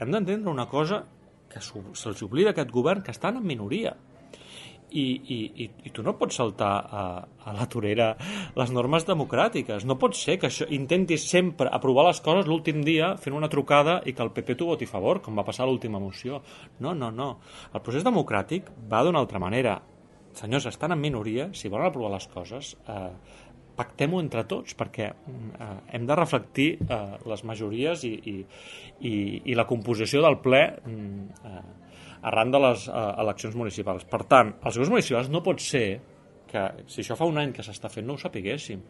hem d'entendre una cosa que se'ls oblida aquest govern, que estan en minoria. I tu no pots saltar a la torera les normes democràtiques. No pot ser que això intentis sempre aprovar les coses l'últim dia fent una trucada i que el PP t'ho voti a favor, com va passar a l'última moció. No. El procés democràtic va d'una altra manera. Senyors, estan en minoria, si volen aprovar les coses, pactem-ho entre tots, perquè hem de reflectir les majories i la composició del ple arran de les eleccions municipals. Per tant, els grups municipals no pot ser que, si això fa un any que s'està fent, no ho sapiguéssim.